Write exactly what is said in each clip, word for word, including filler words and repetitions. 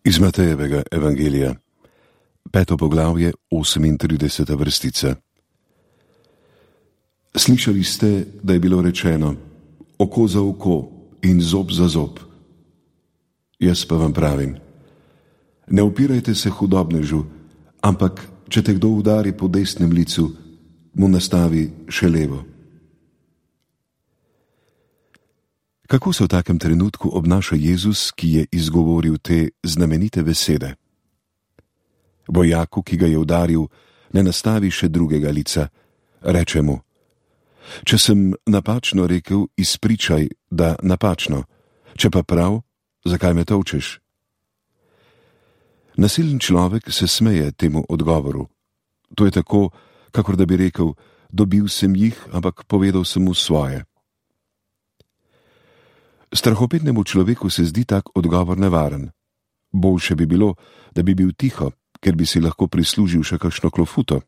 Iz Matejevega evangelija, peto poglavje, osemintrideseta vrstica. Slišali ste, da je bilo rečeno, oko za oko in zob za zob. Jaz pa vam pravim, ne upirajte se hudobnežu, ampak če te kdo udari po desnem licu, mu nastavi še levo. Kako se v takem trenutku obnaša Jezus, ki je izgovoril te znamenite besede? Vojaku, ki ga je udaril, ne nastavi še drugega lica, reče mu: če sem napačno rekel, izpričaj, da napačno, če pa prav, zakaj me tolčeš? Nasilen človek se smeje temu odgovoru. To je tako, kakor da bi rekel, dobil sem jih, ampak povedal sem mu svoje. Strahopetnemu človeku se zdi tak odgovor nevaren. Boljše bi bilo, da bi bil tiho, ker bi si lahko prislužil še kakšno klofuto.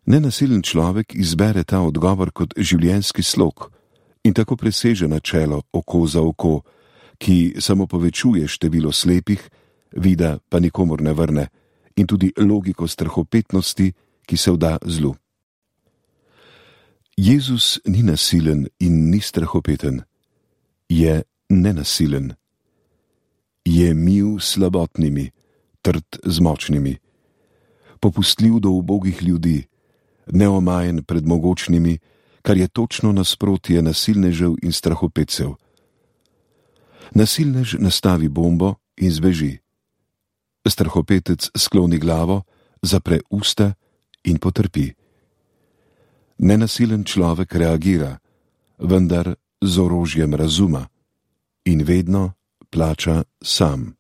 Nenasilen človek izbere ta odgovor kot življenjski slog in tako preseže načelo oko za oko, ki samo povečuje število slepih, vida pa nikomur ne vrne, in tudi logiko strahopetnosti, ki se vda zlu. Jezus ni nasilen in ni strahopeten. Je nenasilen. Je mil s slabotnimi, trd z močnimi, popustljiv do ubogih ljudi, neomajen pred mogočnimi, kar je točno nasprotje nasilnežev in strahopetcev. Nasilnež nastavi bombo in zbeži. Strahopetec skloni glavo, zapre usta in potrpi. Nenasilen človek reagira, vendar z orožjem razuma, in vedno plača sam.